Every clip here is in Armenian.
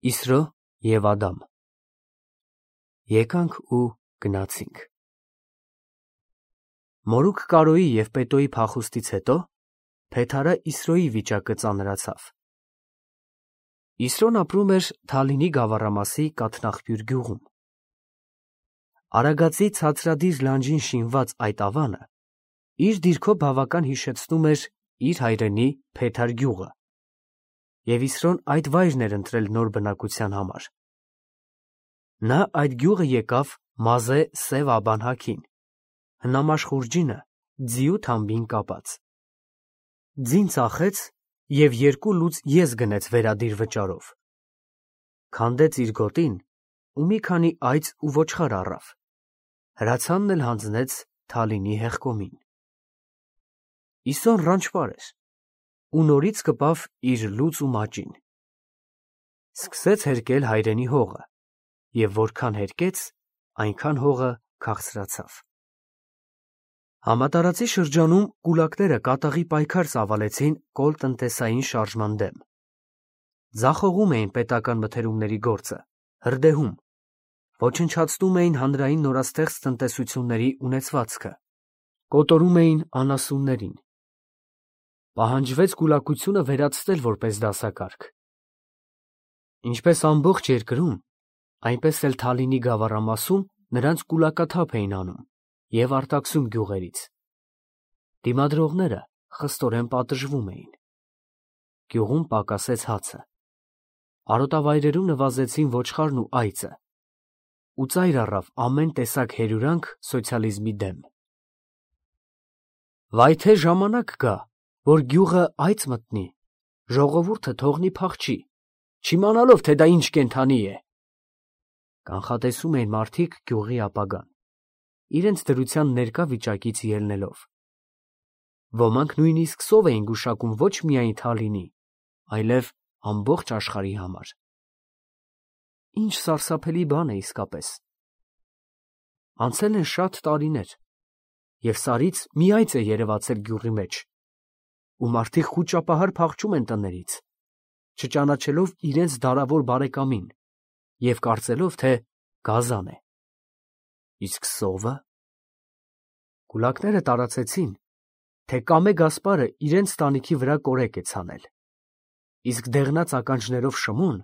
Իսրո և Ադամ։ Եկանք ու գնացինք։ Մորուք Կարոյի և Պետոյի փախուստից հետո Փեթարը Իսրոյի վիճակը ծանրացավ։ Իսրոն ապրում էր Թալինի գավառամասի Կաթնաղբյուր գյուղում։ Արագածի ցածրադիր լանջին շինված այդ ավանը իր դիրքով բավական հիշեցնում էր իր հայրենի Փեթար գյուղը, և Իսրոն այդ վայրն էր ընտրել նոր բնակության համար։ Նա այդ գյուղը եկավ Մազե Սև Աբանհաքին, հնամաշ ձիու թամբին կապած։ Ձին ծախեց և 2 լուծ ես գնեց վերադիր վճարով։ Քանդեց իր գոտին ու մի քանի այծ ու ոչխար առավ, հրացանն էլ հանձնեց Թալինի հեղկոմին։ Իսոն ռանչպար էր ու նորից կպավ իր լուծ ու մաճին։ Սկսեց հերկել հայրենի հողը, և որքան հերկեց, այնքան հողը քաղցրացավ։ Համատարածի շրջանում կուլակները կատաղի պայքար ծավալեցին կոլտնտեսային շարժման դեմ։ Ձախողում էին պետական մթերումների գործը, հրդեհում, ոչնչացնում էին հանրային նորաստեղծ տնտեսությունների ունեցվածքը, կոտորում էին անասուններին։ Պահանջվեց կուլակությունը վերացնել որպես դասակարգ։ Ինչպես ամբողջ երկրում, այնպես էլ Թալինի գավառամասում նրանց կուլակաթափ էին անում և արտաքսում գյուղերից։ Դիմադրողները խստորեն պատժվում էին։ Գյուղում պակասեց հացը։ Արոտավայրերում նվազեցին ոչխարն ու այծը, ու ծայր առավ ամեն տեսակ հերյուրանք սոցիալիզմի դեմ։ Վայ թե ժամանակ գա, որ գյուղը այծ մտնի, ժողովուրդը թողնի փախչի, չիմանալով, թե դա ինչ կենդանի է։ Կանխատեսում էին մարդիկ գյուղի ապագան, իրենց դրության ներկա վիճակից ելնելով։ Ոմանք նույնիսկ սով էին գուշակում ոչ միայն Թալինի, այլև ամբողջ աշխարհի համար։ Ինչ սարսափելի բան է իսկապես։ Անցել են շատ տարիներ, և Սարից մի այծ է երևացել գյուղի մեջ, ու մարդիկ խուճապահար փախչում են տներից, չճանաչելով իրենց դարավոր բարեկամին և կարծելով, թե գազան է։ Իսկ սովը։ Կուլակները տարածեցին, թե Կամե Գասպարը իրենց տանիքի վրա կորեկ է ցանել, իսկ դեղնած ականջներով Շմոն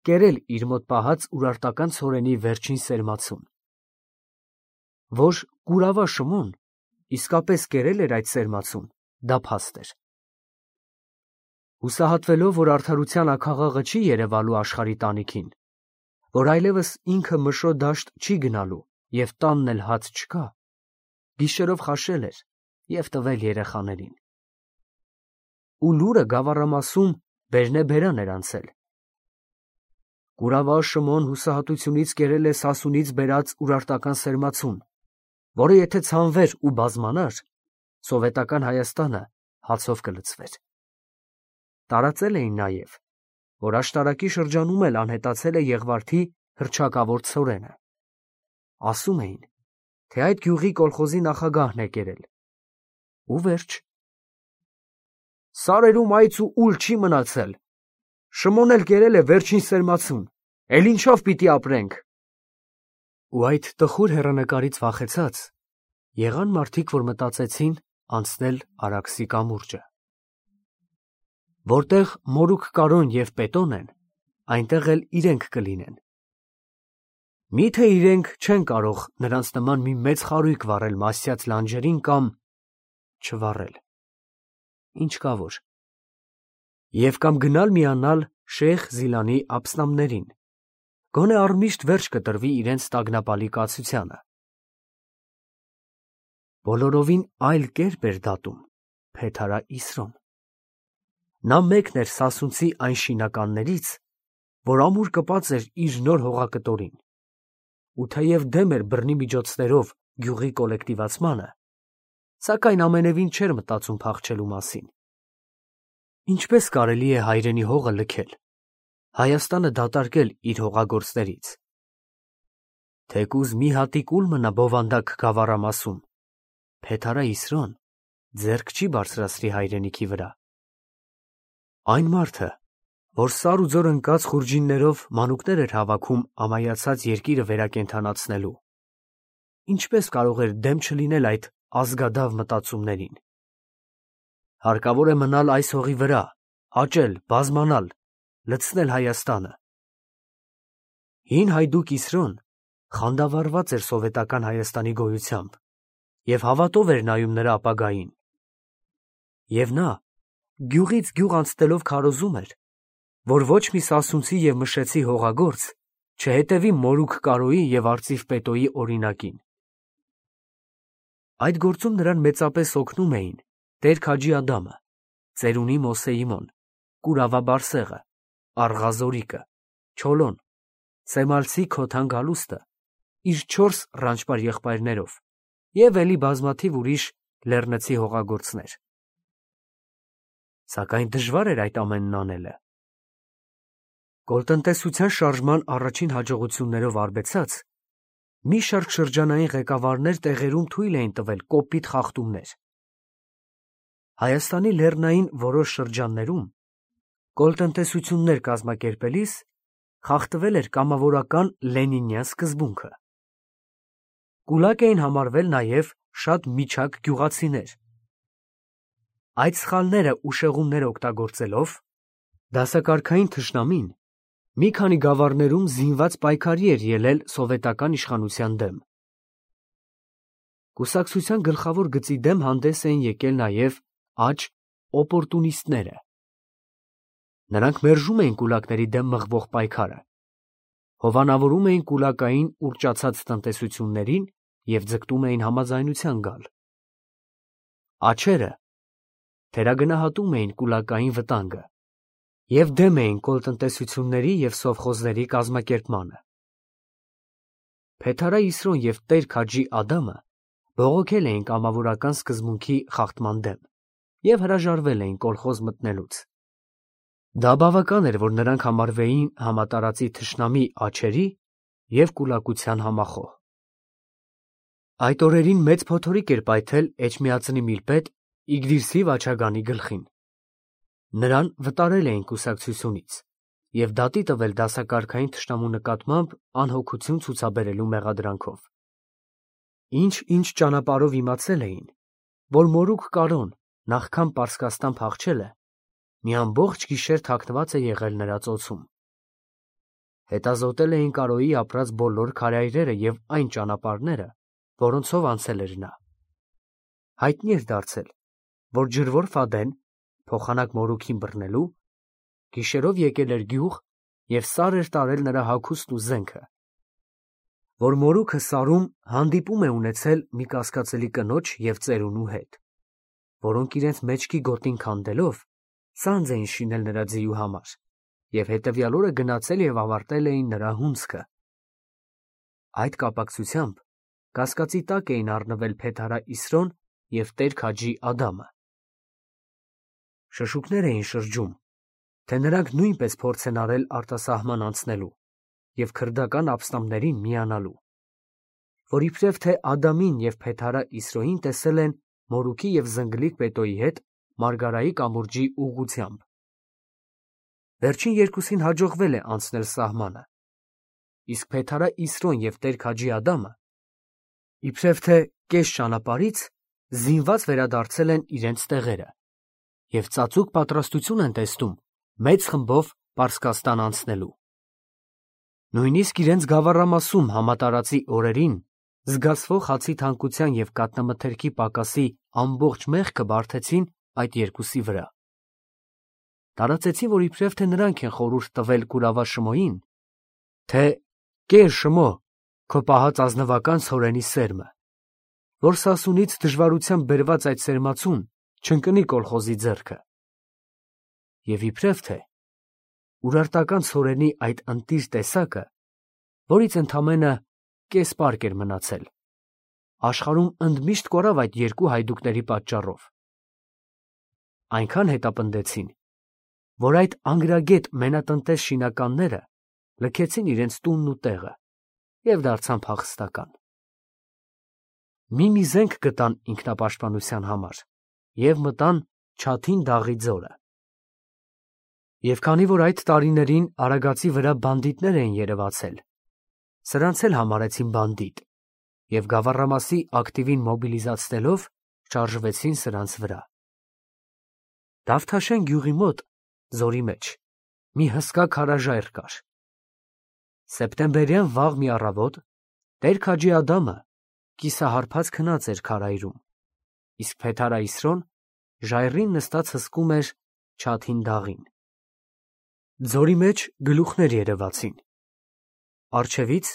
կերել իր մոտ պահած ուրարտական ցորենի վերջին սերմացուն։ Որ կուրավա Շմոն իսկապես կերել էր այդ սերմացուն, դա փաստ էր։ Հուսահատվելով, որ արդարության աքաղաղը չի երևալու աշխարհի տանիքին, որ այլևս ինքը Մշո դաշտ չի գնալու և տանն էլ հաց չկա, գիշերով խաշել էր և տվել երեխաներին։ Ու լուրը գավառամասում բերնեբերան էր անցել։ Կուրավա Շմոն հուսահատությունից կերել է Սասունից բերած ուրարտական սերմացուն, որը եթե ցանվեր ու բազմանար, սովետական Հայաստանը հացով կլցվեր։ Տարածել էին նաև, որ աշտարակի շրջանում էլ անհետացել է Եղվարդի հռչակավոր ցորենը։ Ասում էին, թե այդ գյուղի կոլխոզի նախագահն է կերել։ Ու վերջ։ Սարերում այծ ու ուլ չի մնացել։ Շմոն էլ կերել է վերջին սերմացուն, էլ ինչով պիտի ապրենք։ Ու այդ տխուր հեռանկարից վախեցած, եղան մարդիկ, որ մտածեցին անցնել Արաքսի կամուրջը։ Որտեղ մորուք Կարոն և Պետոն են, այնտեղ էլ իրենք կլինեն։ Մի՞թե իրենք չեն կարող նրանց նման մի մեծ խարույկ վառել Մասյաց լանջերին կամ չվառել։ Ինչ կա որ։ Եվ կամ գնալ միանալ Շեյխ Զիլանի ափսնամներին, գոնե առմիշտ վերջ կտրվի իրենց տագնապալի կացությանը։ Բոլորովին այլ կերպ էր դատում Փեթարա Իսրոն։ Նա մեկն էր Սասունցի այն շինականներից, որ ամուր կպած էր իր նոր հողակտորին, ու թեև դեմ էր բռնի միջոցներով գյուղի կոլեկտիվացմանը, սակայն ամենևին չէր մտածում փախչելու մասին։ Ինչպես կարելի է հայրենի հողը լքել, Հայաստանը դատարկել իր հողագործներից։ Թեկուզ մի հատիկ ուլ մնա բովանդակ գավառամասում, Փեթարա Իսրոն ձեռք չի բարձրացրի հայրենիքի վրա։ Այն մարդը, որ սար ու ձոր ընկած խուրջիններով մանուկներ էր հավաքում ամայացած երկիրը վերակենդանացնելու։ Ինչպես կարող էր դեմ չլինել այդ ազգադավ մտածումներին։ Հարկավոր է մնալ այս հողի վրա, աճել, բազմանալ, լցնել Հայաստանը։ Հին հայդուկ Իսրոն խանդավառված էր սովետական Հայաստանի գոյությամբ և հավատով էր նայում նրա ապագային։ Եվ նա գյուղից գյուղ անցնելով քարոզում էր, որ ոչ մի Սասունցի և Մշեցի հողագործ չհետևի Մորուք Կարոյի և Արծիվ Պետոյի օրինակին։ Այդ գործում նրան մեծապես օգնում էին Տեր Քաջի Ադամը, Ծերունի Մոսեիմոն, Կուրավա Բարսեղը, Աղղազորիկը, Չոլոն, Սեմալցի Քոթան Գալուստը իր 4 ռանչպար եղբայրներով և էլի բազմաթիվ ուրիշ լեռնցի հողագործներ։ Սակայն դժվար էր այդ ամենն անելը։ Կոլտնտեսության շարժման առաջին հաջողություններով արբեցած, մի շարք շրջանային ղեկավարներ տեղերում թույլ էին տվել կոպիտ խախտումներ։ Հայաստանի լեռնային որոշ շրջաններում կոլտնտեսություններ կազմակերպելիս խախտվել էր կամավորական լենինյան սկզբունքը։ Կուլակ էին համարվել նաև շատ միջակ գյուղացիներ։ Այդ սխալները ու շեղումները օգտագործելով դասակարգային թշնամին մի քանի գավառներում զինված պայքարի էր ելել սովետական իշխանության դեմ։ Կուսակցության գլխավոր գծի դեմ հանդես էին եկել նաև աջ օպորտունիստները։ Նրանք մերժում էին կուլակների դեմ մղվող պայքարը, հովանավորում էին կուլակային ուռճացած տնտեսություններին և ձգտում էին համաձայնության գալ։ Աջերը թերագնահատում էին կուլակային վտանգը և դեմ էին կոլտնտեսությունների և սովխոզների կազմակերպմանը։ Փեթարա Իսրոն և Տեր Քաջի Ադամը բողոքել էին կամավորական սկզբունքի խախտման դեմ և հրաժարվել էին կոլխոզ մտնելուց։ Դա բավական էր, որ նրանք համարվեին համատարածի թշնամի աջերի և կուլակության համախոհ։ Այդ օրերին մեծ փոթորիկ էր պայթել Էջմիածնի միլպետ Իգդիրսի Վաչագանի գլխին։ Նրան վտարել էին կուսակցությունից և դատի տվել դասակարգային թշնամու նկատմամբ անհոգություն ցուցաբերելու մեղադրանքով։ Ինչ ճանապարհով իմացել էին, որ Մորուք Կարոն նախքան Պարսկաստան փախչելը մի ամբողջ գիշեր թաքնված է եղել նրա ծոցում։ Հետազոտել էին Կարոյի ապրած բոլոր քարայրերը և այն ճանապարհները, որոնցով անցել էր նա։ Հայտնի էր դարձել, որ ջրվոր Ֆադեն, փոխանակ Մորուքին բռնելու, գիշերով եկել էր գյուղ և սար էր տարել նրա հագուստն ու զենքը, որ Մորուքը սարում հանդիպում է ունեցել մի կասկածելի կնոջ և ծերունու հետ, որոնք իրենց մեջքի գոտին քանդելով սանձ էին շինել նրա ձիու համար և հետևյալ օրը գնացել և ավարտել էին նրա հունձքը։ Այդ կապակցությամբ կասկածի տակ էին առնվել Փեթարա Իսրոն և Տեր Քաջի Ադամը։ Շշուկներ էին շրջում, թե նրանք նույնպես փորձ են արել արտասահման անցնելու և քրդական ապստամբներին միանալու, որ իբրև թե Ադամին և Փեթարա Իսրոյին տեսել են Մորուքի և Զնգլիկ Պետոյի հետ Մարգարայի կամուրջի ուղղությամբ։ Վերջին երկուսին հաջողվել է անցնել սահմանը, իսկ Փեթարա Իսրոն և Տեր Քաջի Ադամը իբրև թե կես ճանապարհից զինված վերադարձել են իրենց տեղերը և ծածուկ պատրաստություն են տեսնում մեծ խմբով Պարսկաստան անցնելու։ Նույնիսկ իրենց գավառամասում համատարածի օրերին զգացվող հացի թանկության և կատնամթերքի պակասի ամբողջ մեղքը բարդեցին այդ երկուսի վրա։ Տարածեցին, որ իբրև թե նրանք են խորհուրդ տվել Կուրավա Շմոյին, թե «Կեր Շմո, քո պահած ազնվական ցորենի սերմը», որ Սասունից դժվարությամբ բերված այդ սերմացուն չընկնի կոլխոզի ձեռքը։ Եվ իբրև թե Ուրարտական ցորենի այդ ընտիր տեսակը, որից ընդամենը կես պարկ էր մնացել, աշխարհում ընդմիշտ կորավ այդ երկու հայդուկների պատճառով։ Այնքան հետապնդեցին, որ այդ անգրագետ մենատնտես շինականները լքեցին իրենց տունն ու տեղը և դարձան փախստական։ Մի զենք գտան ինքնապաշտպանության համար և մտան Չաթին դաղի ձորը։ Եվ քանի որ այդ տարիներին Արագածի վրա բանդիտներ էին երևացել, սրանց էլ համարեցին բանդիտ և Գավառամասի ակտիվին մոբիլիզացնելով շարժվեցին սրանց վրա։ Դավթաշեն գյուղի մոտ, ձորի մեջ, մի հսկա քարաժայռ կար։ Սեպտեմբերյան վաղ մի առավոտ Տեր-Քաջի Ադամը կիսահարբած քնած էր քարայրում, իսկ Փեթարա Իսրոն ժայռին նստած հսկում էր չաթին դաղին։ Ձորի մեջ գլուխներ երևացին։ Առջևից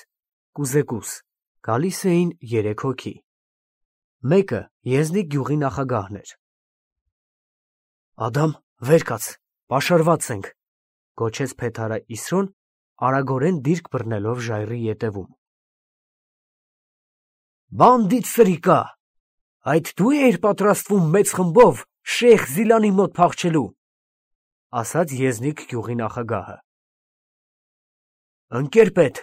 կուզեկուս գալիս էին 3 հոգի։ Մեկը Եզնիկ գյուղի նախագահն էր։ «Ադամ, վեր կաց, պաշարված ենք», գոչեց Փեթարա Իսրոն, արագորեն դիրք բռնելով ժայռի ետևում։ «Բանդիտ սրիկա, այդ դու էիր պատրաստվում մեծ խմբով Շեյխ Զիլանի մոտ փախչելու», ասաց Եզնիկ գյուղի նախագահը։ «Ընկեր պետ»,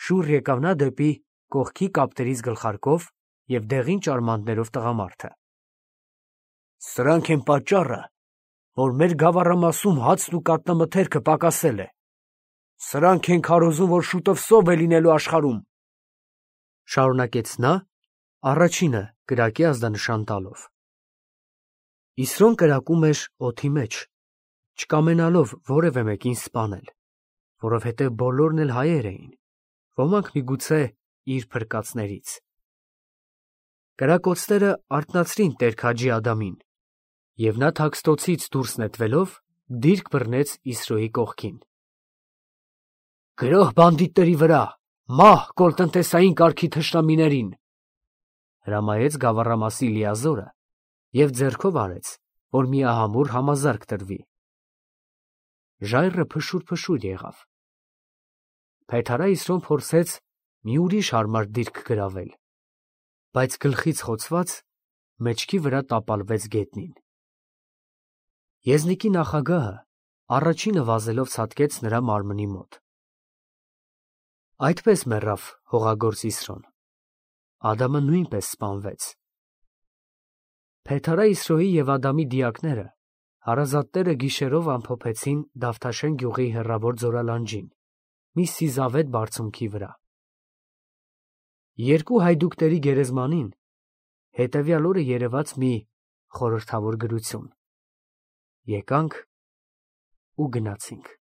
շուռ եկավ նա դեպի կողքի կապտերից գլխարկով և դեղին ճարմաններով տղամարդը։ «Սրանք են պատճառը, որ մեր Գավառամասում հացն ու կատնամթերքը պակասել է։ Սրանք են քարոզում, որ շուտով սով է լինելու աշխարհում», շարունակեց նա, առաջինը կրակի ազդանշան տալով։ Իսրոն կրակում էր օդի մեջ, չկամենալով որևէ մեկին սպանել, որովհետև բոլորն էլ հայեր էին, ոմանք միգուցե իր փրկածներից։ Կրակոցները արթնացրին Տեր-Քաջի Ադամին, և նա թաքստոցից դուրս նետվելով դիրք բռնեց Իսրոյի կողքին։ «Գրոհ բանդիտների վրա, մահ կոլտնտեսային կարգի թշնամիներին», հրամայեց Գավառամասի լիազորը և ձեռքով արեց, որ միահամուռ համազարկ տրվի։ Ժայռը փշուր եղավ։ Փեթարա Իսրոն փորձեց մի ուրիշ հարմար դիրք գրավել, բայց գլխից խոցված մեջքի վրա տապալվեց գետնին։ Եզնիկի նախագահը առաջինը վազելով ցատկեց նրա մարմնի մոտ։ Այդպես մեռավ հողագործ Իսրոն։ Ադամը նույնպես սպանվեց։ Փեթարա Իսրոյի և Ադամի դիակները հարազատները գիշերով ամփոփեցին Դավթաշեն գյուղի հեռավոր ձորալանջին, մի սիզավետ բարձունքի վրա։ Երկու հայդուկների գերեզմանին հետևյալ օրը երևաց մի խորհրդավոր գրություն. «Եկանք ու գնացինք»։